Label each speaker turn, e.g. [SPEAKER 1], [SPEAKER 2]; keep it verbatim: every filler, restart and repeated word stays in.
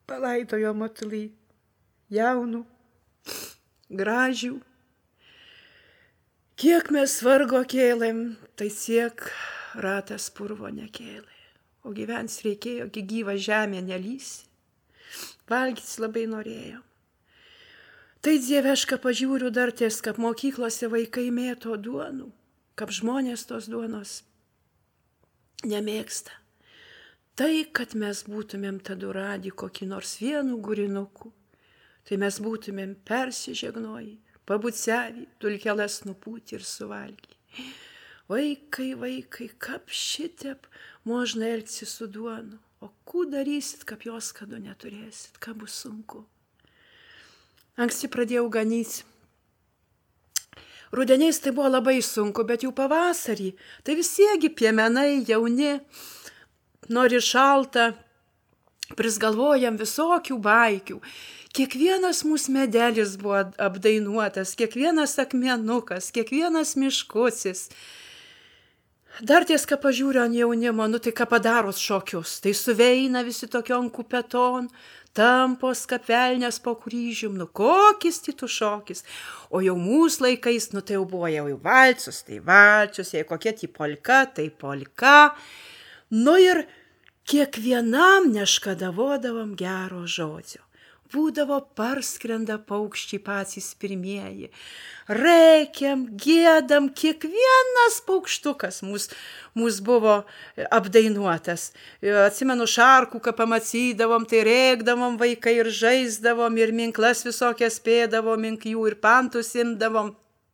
[SPEAKER 1] palaidojo matulį jaunų, gražių. Kiek mes vargo kėlėm, tai tiek ratas purvo nekėlė. O gyvens reikėjo, gi gyva žemė nelysi. Valgytis labai norėjom. Tai dieveška pažiūriu dar ties, kaip mokyklose vaikai mėto duonų, kaip žmonės tos duonos nemėgsta. Tai, kad mes būtumėm tada radę kokį nors vienų gurinukų, tai mes būtumėm persižegnoji, pabucevį, dulkelas nupūti ir suvalgy. Vaikai, vaikai, kaip šitep možna elgsi su duonu, o kų darysit, kaip jos kadu neturėsit, ką bus sunku. Anksti pradėjau ganyti. Rudeniais tai buvo labai sunku, bet jau pavasarį, tai visiegi piemenai, jauni, nori šalta, prisgalvojam visokių baikių. Kiekvienas mūsų medelis buvo apdainuotas, kiekvienas akmenukas, kiekvienas miškusis. Dar ties, ką pažiūriu ant jaunimo, nu tai ką padaros šokius, tai suveina visi tokion kupeton, tampos kapelnės po kryžium, nu kokis titų šokis. O jau mūsų laikais, nu tai jau buvo jau valčius, tai valčius, jei kokie tai polka, tai polka. Nu ir kiekvienam neškadavodavom gero žodžio. Būdavo parskrenda paukščiai patys pirmieji. Reikiam, gėdam, kiekvienas paukštukas mūs, mūs buvo apdainuotas. Atsimenu šarkų, ką pamatydavom, tai rėkdavom vaikai ir žaisdavom, ir minklas visokias pėdavom, mink jų ir pantus imdavom.